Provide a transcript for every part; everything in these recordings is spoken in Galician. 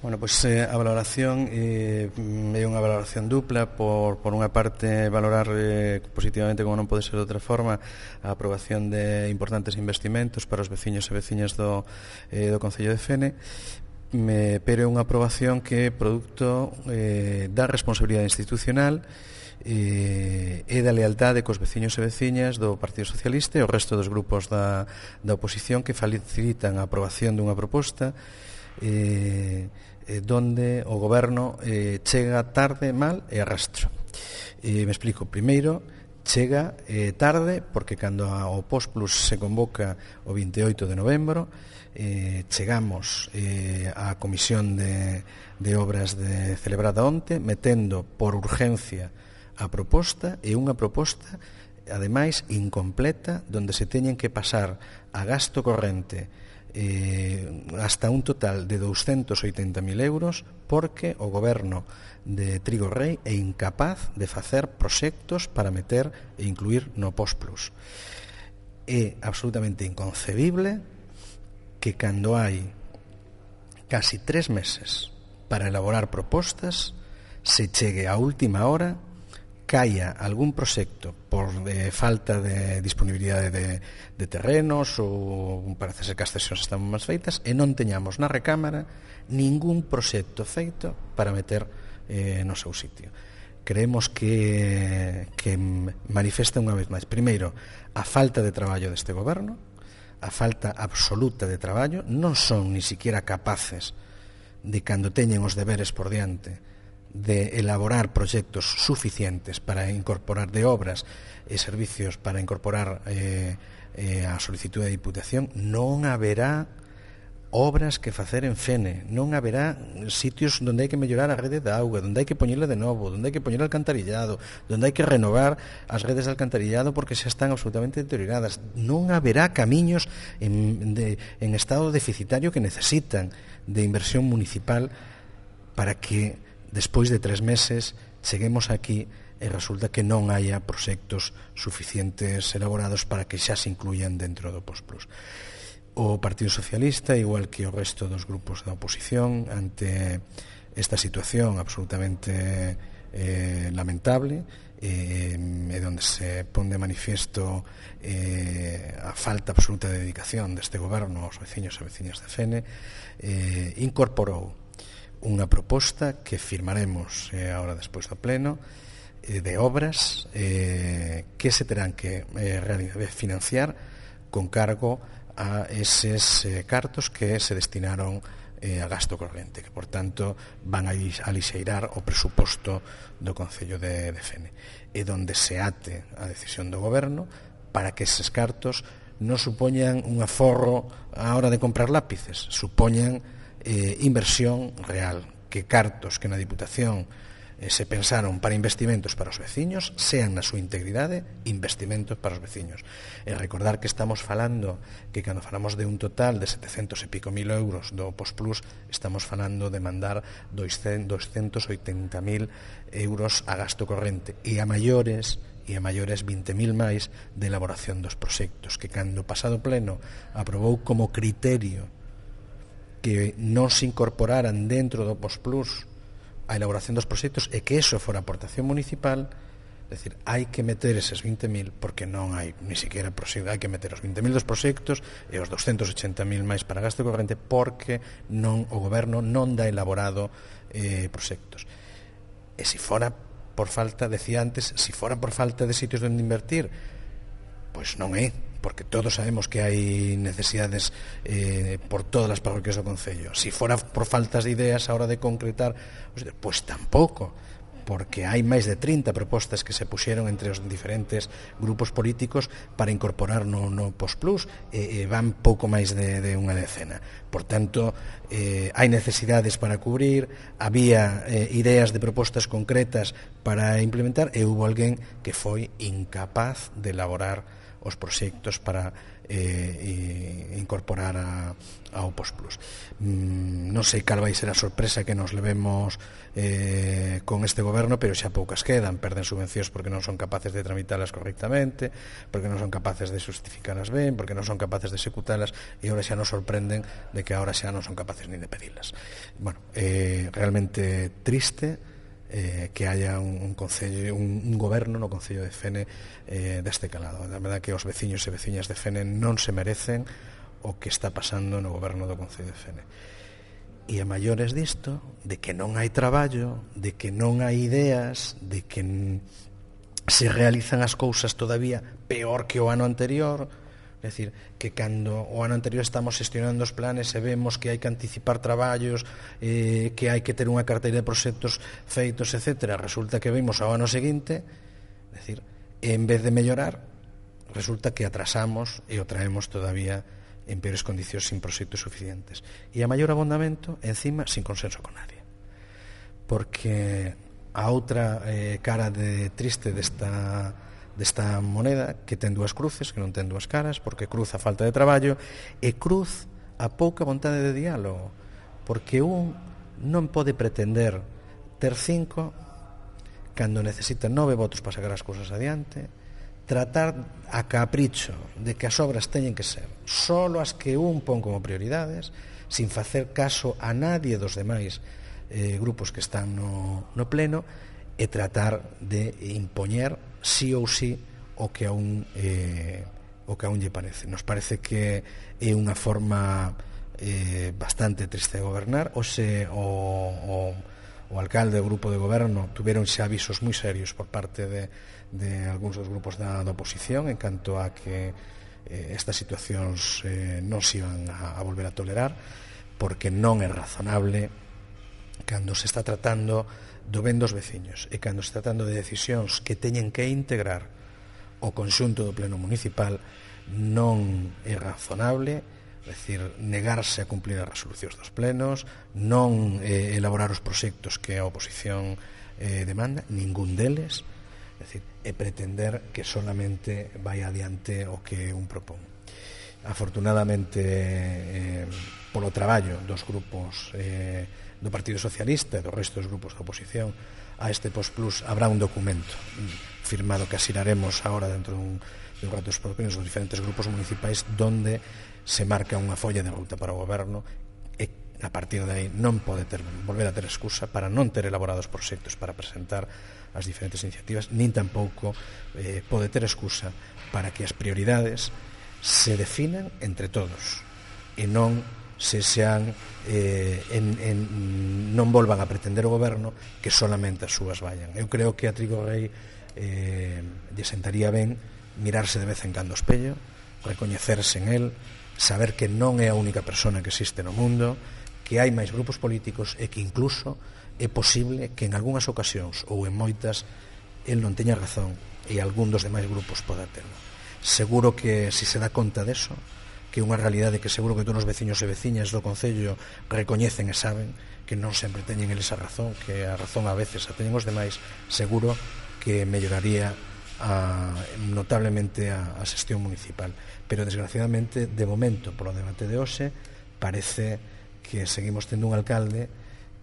Bueno, pois a valoración é unha valoración dupla. Por unha parte, valorar positivamente, como non pode ser de outra forma, a aprobación de importantes investimentos para os veciños e veciñas do Concello de Fene, pero é unha aprobación que é produto da responsabilidade institucional e da lealtade cos veciños e veciñas do Partido Socialista e o resto dos grupos da oposición, que facilitan a aprobación dunha proposta donde o goberno chega tarde, mal e arrastro. Me explico. Primeiro, chega tarde porque cando o Postplus se convoca o 28 de novembro, chegamos á Comisión de Obras celebrada onte, metendo por urgencia a proposta, e unha proposta ademais incompleta, donde se teñen que pasar a gasto corrente hasta un total de 280.000 euros, porque o goberno de Trigo Rei é incapaz de facer proxectos para meter e incluir no Postplus. É absolutamente inconcebible que cando hai casi 3 meses para elaborar propostas se chegue a última hora, caia algún proxecto por falta de disponibilidade de terrenos, ou parece ser que as cesións están máis feitas, e non teñamos na recámara ningún proxecto feito para meter no seu sitio. Creemos que manifesta unha vez máis, primeiro, a falta de traballo deste goberno, a falta absoluta de traballo. Non son ni siquiera capaces de, cando teñen os deberes por diante, de elaborar proxectos suficientes para incorporar de obras e servicios para incorporar a solicitude de Diputación. Non haberá obras que facer en Fene, non haberá sitios onde hai que mellorar a rede de auga, onde hai que poñerle de novo, onde hai que poñer alcantarillado, onde hai que renovar as redes de alcantarillado porque xa están absolutamente deterioradas. Non haberá camiños en estado deficitario que necesitan de inversión municipal para que despois de 3 meses cheguemos aquí e resulta que non haya proxectos suficientes elaborados para que xa se incluyan dentro do Postplus. O Partido Socialista, igual que o resto dos grupos da oposición, ante esta situación absolutamente lamentable, e onde se pon de manifiesto a falta absoluta de dedicación deste goberno aos veciños e veciñas de Fene, incorporou unha proposta que firmaremos agora despois do pleno, de obras que se terán que financiar con cargo a eses cartos que se destinaron a gasto corrente, que por tanto van a alixeirar o presuposto do Concello de Fene, e donde se ate a decisión do goberno para que eses cartos non supoñan un aforro á hora de comprar lápices, supoñan inversión real, que cartos que na Diputación se pensaron para investimentos para os veciños sean na súa integridade investimentos para os veciños. E recordar que estamos falando que cando falamos de un total de 700 e pico mil euros do Postplus, estamos falando de mandar 280.000 euros a gasto corrente, e a maiores 20.000 máis de elaboración dos proxectos, que cando o pasado pleno aprobou como criterio que non se incorporaran dentro do Postplus a elaboración dos proxectos e que eso fora aportación municipal. É dicir, hai que meter eses 20.000 porque non hai ni siquiera proxecto, hai que meter os 20.000 dos proxectos e os 280.000 máis para gasto corrente, porque non o goberno non dá elaborado proxectos. E se fora por falta, decía antes, se fora por falta de sitios onde invertir, pois non é, porque todos sabemos que hai necesidades por todas as parroquias do Concello. Se fora por faltas de ideas a hora de concretar, pois tampouco, porque hai máis de 30 propostas que se puxeron entre os diferentes grupos políticos para incorporar no Postplus, e van pouco máis de unha decena. Por tanto, hai necesidades para cubrir, había ideas de propostas concretas para implementar, e hubo alguén que foi incapaz de elaborar os proxectos para incorporar ao Postplus. Non sei cal vai ser a sorpresa que nos levemos con este goberno, pero xa poucas quedan. Perden subvencións porque non son capaces de tramitalas correctamente, porque non son capaces de justificalas ben, porque non son capaces de executalas, e agora xa nos sorprenden de que agora xa non son capaces nin de pedilas. Bueno, realmente triste que haya un goberno no Concello de Fene deste calado. A verdade que os veciños e veciñas de Fene non se merecen o que está pasando no goberno do Concello de Fene. E a maiores disto, de que non hai traballo, de que non hai ideas, de que se realizan as cousas todavía peor que o ano anterior. É dicir, que cando o ano anterior estamos xestionando os planes e vemos que hai que anticipar traballos, que hai que ter unha carteira de proxectos feitos, etc., resulta que vimos ao ano seguinte, é dicir, en vez de mellorar, resulta que atrasamos e o traemos todavía en peores condicións, sin proxectos suficientes. E a maior abondamento, encima, sin consenso con nadie. Porque a outra cara triste desta moneda, que ten dúas cruces, que non ten dúas caras, porque cruz a falta de traballo e cruz a pouca vontade de diálogo, porque un non pode pretender ter 5 cando necesita 9 votos para sacar as cousas adiante, tratar a capricho de que as obras teñen que ser solo as que un pon como prioridades, sin facer caso a nadie dos demais grupos que están no pleno, e tratar de impoñer sí ou sí o que a un lle parece. Nos parece que é unha forma bastante triste de gobernar. Hoxe o alcalde e o grupo de goberno tuveron xa avisos moi serios por parte de algúns dos grupos da oposición en canto a que estas situacións non se iban a volver a tolerar, porque non é razonable cando se está tratando do ben dos veciños e cando se está tratando de decisións que teñen que integrar o conxunto do pleno municipal, non é razonable, é dicir, negarse a cumplir as resolucións dos plenos, non elaborar os proxectos que a oposición demanda, ningún deles, é dicir, e pretender que solamente vai adiante o que un propón. Afortunadamente, polo traballo dos grupos do Partido Socialista e do resto dos grupos da oposición a este Postplus, habrá un documento firmado que asiraremos agora dentro dun rato dos propios dos diferentes grupos municipais, donde se marca unha folla de ruta para o goberno, e a partir de aí non pode volver a ter excusa para non ter elaborados proxectos para presentar as diferentes iniciativas, nin tampouco pode ter excusa para que as prioridades se definan entre todos e non non volvan a pretender o goberno que solamente as súas vayan. Eu creo que a Trigo Rei lle sentaría ben mirarse de vez en cando ao espello, recoñecerse en el, saber que non é a única persona que existe no mundo, que hai máis grupos políticos e que incluso é posible que en algunhas ocasións ou en moitas el non teña razón e algún dos demais grupos poda terlo. Seguro que se dá conta deso, que é unha realidade que seguro que todos os veciños e veciñas do Concello recoñecen e saben que non sempre teñen eles a razón, que a razón a veces a teñen os demais, seguro que melloraría notablemente a xestión municipal. Pero desgraciadamente, de momento, polo debate de hoxe, parece que seguimos tendo un alcalde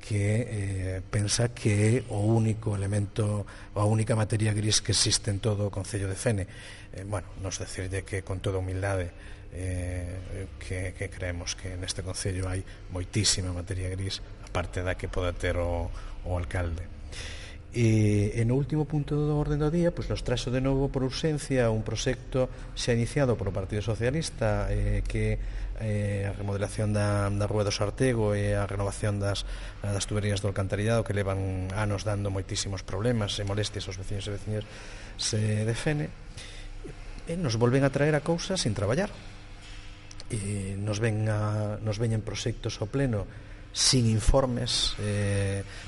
que pensa que é o único elemento, a única materia gris que existe en todo o Concello de Fene. Bueno, nos decirlle que con toda humildade que creemos que neste Concello hai moitísima materia gris, aparte da que poda ter o alcalde. E no último punto do orden do día, nos traxo de novo por urxencia un proxecto xa iniciado polo Partido Socialista, que a remodelación da Rúa do Sartego e a renovación das tuberías do alcantarillado, que levan anos dando moitísimos problemas e molestias aos veciños e veciñas de Fene, e nos volven a traer a cousas sin traballar. E nos veñen proxectos ao pleno sin informes,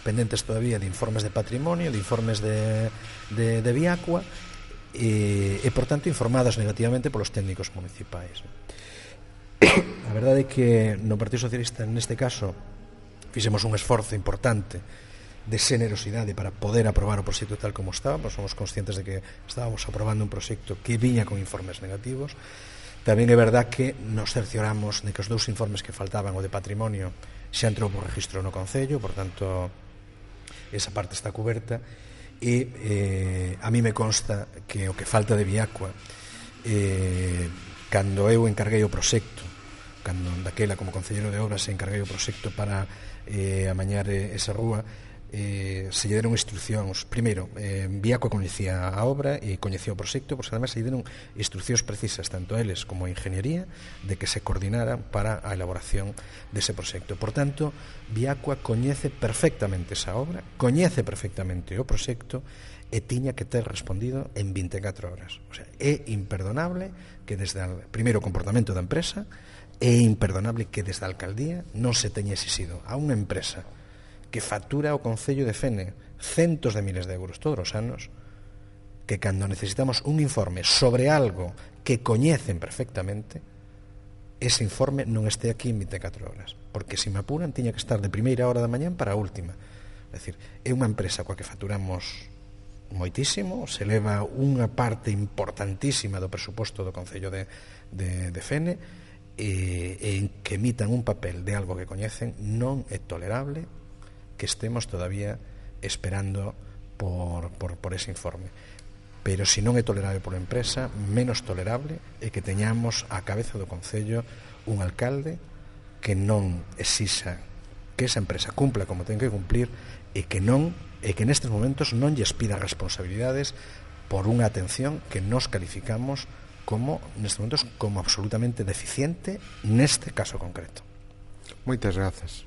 pendentes todavía de informes de patrimonio, de informes de Viacua, e por tanto informados negativamente polos técnicos municipais. A verdade é que no Partido Socialista, neste caso, fixemos un esforzo importante de generosidade para poder aprobar o proxecto tal como estaba. Somos conscientes de que estábamos aprobando un proxecto que viña con informes negativos. Tamén é verdad que nos cercioramos de que os 2 informes que faltaban, o de patrimonio, xa entrou por registro no Concello, por tanto, esa parte está cuberta, e a mí me consta que o que falta de Viacua, cando eu encarguei o proxecto, cando daquela como concelleiro de obras encarguei o proxecto para amañar esa rúa, se lle deron instruccións. Primeiro, Viacua coñecía a obra e coñecía o proxecto, pois además se lle deron instruccións precisas tanto a eles como a ingeniería de que se coordinaran para a elaboración dese proxecto. Por tanto, Viacua coñece perfectamente esa obra, coñece perfectamente o proxecto e tiña que ter respondido en 24 horas. O sea, é imperdonable que desde o primeiro comportamento da empresa, é imperdonable que desde a alcaldía non se teña exixido a unha empresa que factura ao Concello de Fene centos de miles de euros todos os anos, que cando necesitamos un informe sobre algo que coñecen perfectamente, ese informe non este aquí en 24 horas, porque se me apuran tiña que estar de primeira hora da mañán para a última. É dicir, é unha empresa coa que facturamos moitísimo, se leva unha parte importantísima do presuposto do Concello de Fene, e en que emitan un papel de algo que coñecen non é tolerable que estemos todavía esperando por ese informe. Pero se non é tolerable por empresa, menos tolerable é que teñamos á cabeza do Concello un alcalde que non exixa que esa empresa cumpla como ten que cumplir e que nestes momentos non lles pida responsabilidades por unha atención que nos calificamos como, nestes momentos, como absolutamente deficiente neste caso concreto. Moitas grazas.